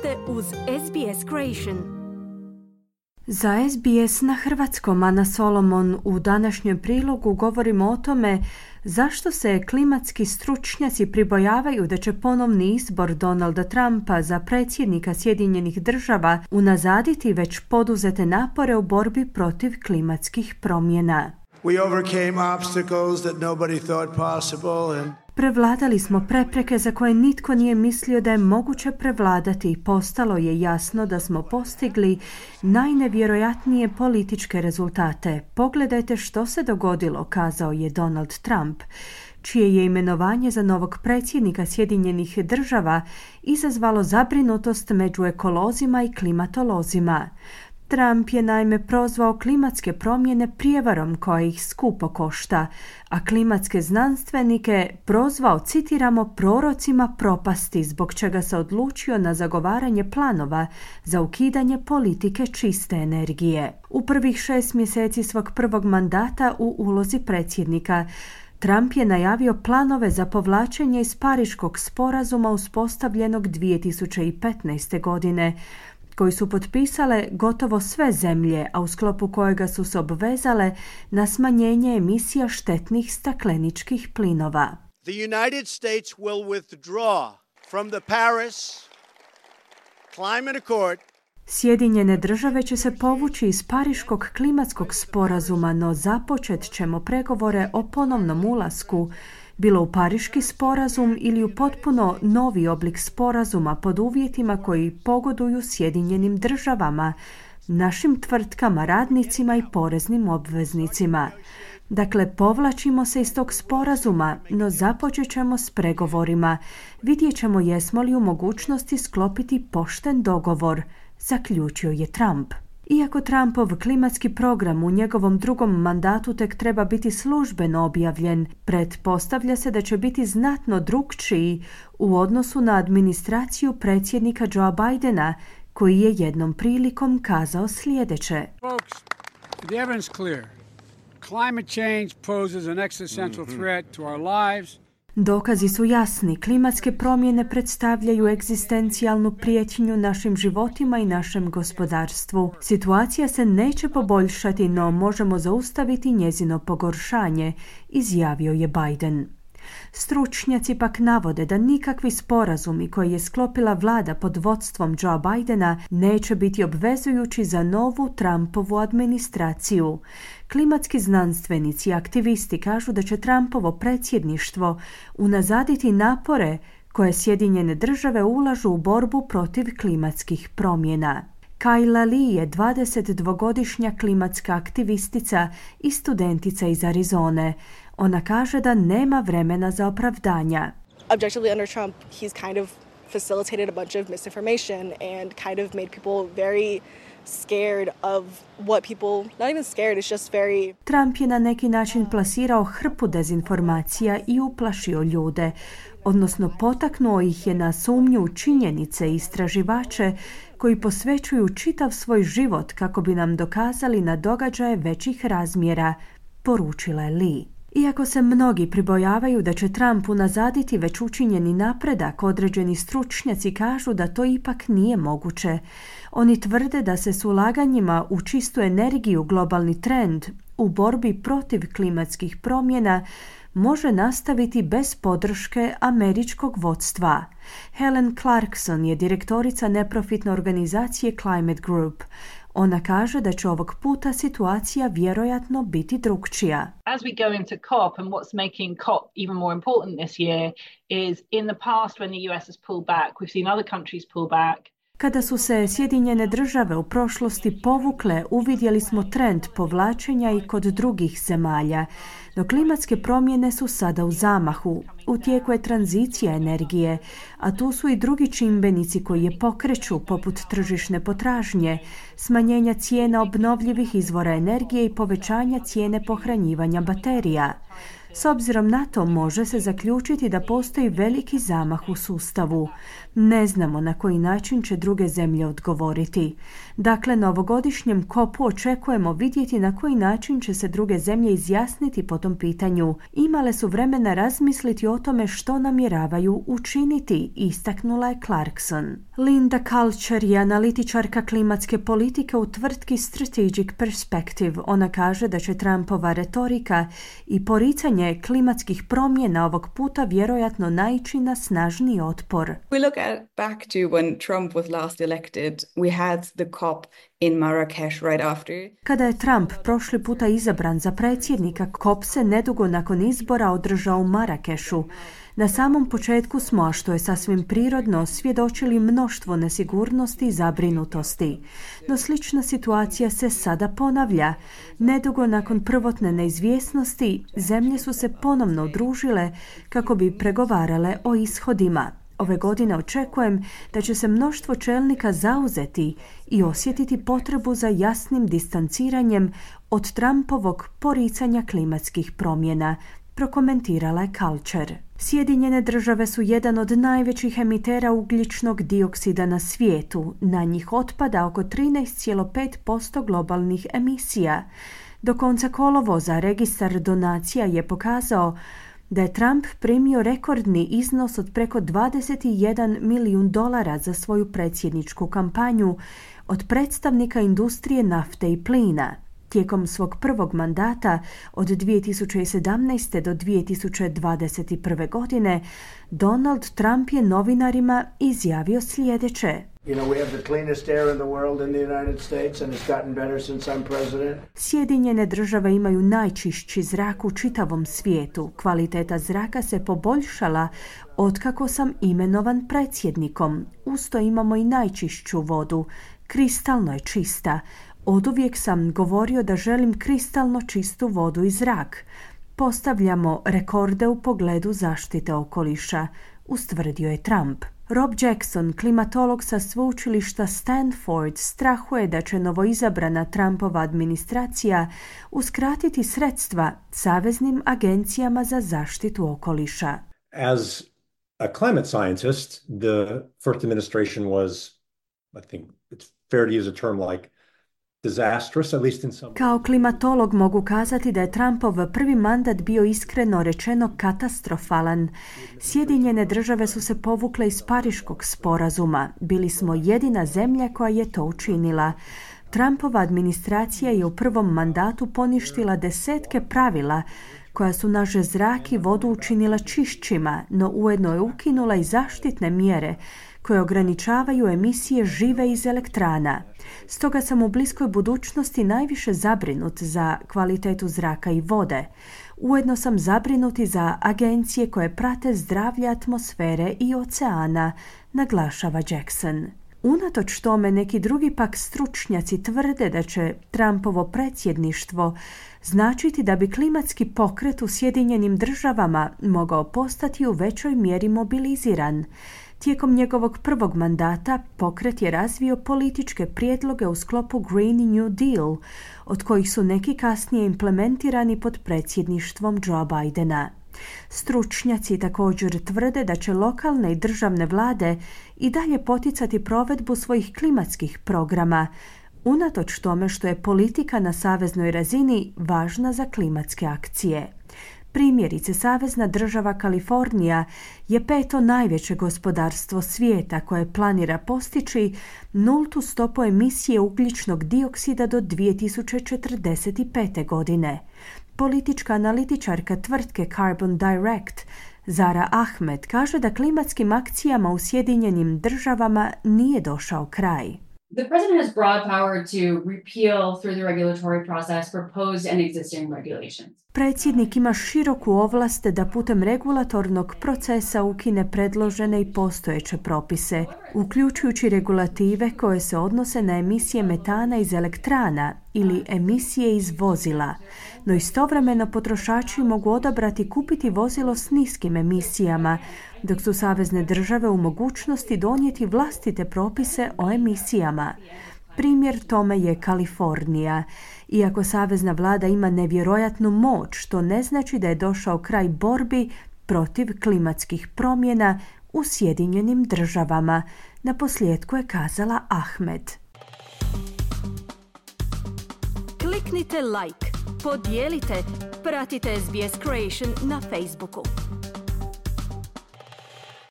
ste uz SBS Creation. Za SBS na hrvatskom, Ana Solomon, u današnjem prilogu govorimo o tome zašto se klimatski stručnjaci pribojavaju da će ponovni izbor Donalda Trumpa za predsjednika Sjedinjenih Država unazaditi već poduzete napore u borbi protiv klimatskih promjena. We overcame obstacles that nobody thought possible. Prevladali smo prepreke za koje nitko nije mislio da je moguće prevladati i postalo je jasno da smo postigli najnevjerojatnije političke rezultate. Pogledajte što se dogodilo, kazao je Donald Trump, čije je imenovanje za novog predsjednika Sjedinjenih Država izazvalo zabrinutost među ekolozima i klimatolozima. Trump je naime prozvao klimatske promjene prijevarom koja ih skupo košta, a klimatske znanstvenike prozvao, citiramo, prorocima propasti, zbog čega se odlučio na zagovaranje planova za ukidanje politike čiste energije. U prvih 6 mjeseci svog prvog mandata u ulozi predsjednika, Trump je najavio planove za povlačenje iz Pariškog sporazuma uspostavljenog 2015. godine, koji su potpisale gotovo sve zemlje, a u sklopu kojega su se obvezale na smanjenje emisija štetnih stakleničkih plinova. The United States will withdraw from the Paris Climate Accord. Sjedinjene Države će se povući iz Pariškog klimatskog sporazuma, no započet ćemo pregovore o ponovnom ulasku, bilo u Pariški sporazum ili u potpuno novi oblik sporazuma pod uvjetima koji pogoduju Sjedinjenim Državama, našim tvrtkama, radnicima i poreznim obveznicima. Dakle, povlačimo se iz tog sporazuma, no započet ćemo s pregovorima. Vidjet ćemo jesmo li u mogućnosti sklopiti pošten dogovor, zaključio je Trump. Iako Trumpov klimatski program u njegovom drugom mandatu tek treba biti službeno objavljen, pretpostavlja se da će biti znatno drukčiji u odnosu na administraciju predsjednika Joea Bidena, koji je jednom prilikom kazao sljedeće. Folks, the evidence is clear. Climate change poses an existential threat to our lives. Dokazi su jasni. Klimatske promjene predstavljaju egzistencijalnu prijetnju našim životima i našem gospodarstvu. Situacija se neće poboljšati, no možemo zaustaviti njezino pogoršanje, izjavio je Biden. Stručnjaci pak navode da nikakvi sporazumi koje je sklopila vlada pod vodstvom Joea Bidena neće biti obvezujući za novu Trumpovu administraciju. Klimatski znanstvenici i aktivisti kažu da će Trumpovo predsjedništvo unazaditi napore koje Sjedinjene Države ulažu u borbu protiv klimatskih promjena. Kayla Lee je 22-godišnja klimatska aktivistica i studentica iz Arizone. Ona kaže da nema vremena za opravdanja. Objectively, under Trump, he's kind of facilitated a bunch of misinformation and kind of made people very scared of what people, not even scared, it's just very... Trump je na neki način plasirao hrpu dezinformacija i uplašio ljude, odnosno potaknuo ih je na sumnju u činjenice i istraživače koji posvećuju čitav svoj život kako bi nam dokazali na događaje većih razmjera, poručila je Lee. Iako se mnogi pribojavaju da će Trump unazaditi već učinjeni napredak, određeni stručnjaci kažu da to ipak nije moguće. Oni tvrde da se s ulaganjima u čistu energiju globalni trend u borbi protiv klimatskih promjena može nastaviti bez podrške američkog vodstva. Helen Clarkson je direktorica neprofitne organizacije Climate Group. Ona kaže da će ovog puta situacija vjerojatno biti drukčija. As we go into COP, and what's making COP even more important this year is in the past when the US has pulled back, we've seen other countries pull back. Kada su se Sjedinjene Države u prošlosti povukle, uvidjeli smo trend povlačenja i kod drugih zemalja. No klimatske promjene su sada u zamahu. U tijeku je tranzicija energije, a tu su i drugi čimbenici koji je pokreću, poput tržišne potražnje, smanjenja cijena obnovljivih izvora energije i povećanja cijene pohranjivanja baterija. S obzirom na to može se zaključiti da postoji veliki zamah u sustavu. Ne znamo na koji način će druge zemlje odgovoriti. Dakle, na ovogodišnjem kopu očekujemo vidjeti na koji način će se druge zemlje izjasniti po tom pitanju. Imale su vremena razmisliti o tome što namjeravaju učiniti, istaknula je Clarkson. Linda Culture je analitičarka klimatske politike u tvrtki Strategic Perspective. Ona kaže da će Trumpova retorika i poricanje klimatskih promjena ovog puta vjerojatno naići na snažni otpor. We look back to when Trump was last elected, we had the COP in Marrakesh right after. Kada je Trump prošli puta izabran za predsjednika, COP se nedugo nakon izbora održao u Marakešu. Na samom početku smo, a što je sasvim prirodno, svjedočili mnoštvo nesigurnosti i zabrinutosti. No slična situacija se sada ponavlja. Nedugo nakon prvotne neizvjesnosti, zemlje su se ponovno udružile kako bi pregovarale o ishodima. Ove godine očekujem da će se mnoštvo čelnika zauzeti i osjetiti potrebu za jasnim distanciranjem od Trumpovog poricanja klimatskih promjena, prokomentirala je Culture. Sjedinjene države su jedan od najvećih emitera ugljičnog dioksida na svijetu. Na njih otpada oko 13,5% globalnih emisija. Do konca kolovoza registar donacija je pokazao da je Trump primio rekordni iznos od preko $21 milijun za svoju predsjedničku kampanju od predstavnika industrije nafte i plina. Tijekom svog prvog mandata od 2017. do 2021. godine Donald Trump je novinarima izjavio sljedeće. Sjedinjene države imaju najčišći zrak u čitavom svijetu. Kvaliteta zraka se poboljšala otkako sam imenovan predsjednikom. Usto imamo i najčišću vodu. Kristalno je čista. Oduvijek sam govorio da želim kristalno čistu vodu i zrak. Postavljamo rekorde u pogledu zaštite okoliša, ustvrdio je Trump. Rob Jackson, klimatolog sa sveučilišta Stanford, strahuje da će novoizabrana Trumpova administracija uskratiti sredstva saveznim agencijama za zaštitu okoliša. As a climate scientist, the first administration was, I think it's fair to use a term like disastrous, at least in some. Kao klimatolog mogu kazati da je Trumpov prvi mandat bio iskreno rečeno katastrofalan. Sjedinjene države su se povukle iz Pariškog sporazuma. Bili smo jedina zemlja koja je to učinila. Trumpova administracija je u prvom mandatu poništila desetke pravila koja su naš zrak i vodu učinila čišćima, no ujedno je ukinula i zaštitne mjere koje ograničavaju emisije žive iz elektrana. Stoga sam u bliskoj budućnosti najviše zabrinut za kvalitetu zraka i vode. Ujedno sam zabrinut i za agencije koje prate zdravlje atmosfere i oceana, naglašava Jackson. Unatoč tome neki drugi pak stručnjaci tvrde da će Trumpovo predsjedništvo značiti da bi klimatski pokret u Sjedinjenim državama mogao postati u većoj mjeri mobiliziran. Tijekom njegovog prvog mandata pokret je razvio političke prijedloge u sklopu Green New Deal, od kojih su neki kasnije implementirani pod predsjedništvom Joe Bidena. Stručnjaci također tvrde da će lokalne i državne vlade i dalje poticati provedbu svojih klimatskih programa, unatoč tome što je politika na saveznoj razini važna za klimatske akcije. Primjerice, savezna država Kalifornija je peto najveće gospodarstvo svijeta koje planira postići nultu stopu emisije ugljičnog dioksida do 2045. godine. Politička analitičarka tvrtke Carbon Direct Zara Ahmed kaže da klimatskim akcijama u Sjedinjenim državama nije došao kraj. The president has broad power to repeal through the regulatory process proposed and existing regulations. Predsjednik ima široku ovlast da putem regulatornog procesa ukine predložene i postojeće propise, uključujući regulative koje se odnose na emisije metana iz elektrana ili emisije iz vozila. No istovremeno potrošači mogu odabrati kupiti vozilo s niskim emisijama, dok su savezne države u mogućnosti donijeti vlastite propise o emisijama. Primjer tome je Kalifornija. Iako savezna vlada ima nevjerojatnu moć, to ne znači da je došao kraj borbi protiv klimatskih promjena, u Sjedinjenim Državama. Naposljetku je kazala Ahmed. Kliknite like, podijelite, pratite SBS Creation na Facebooku.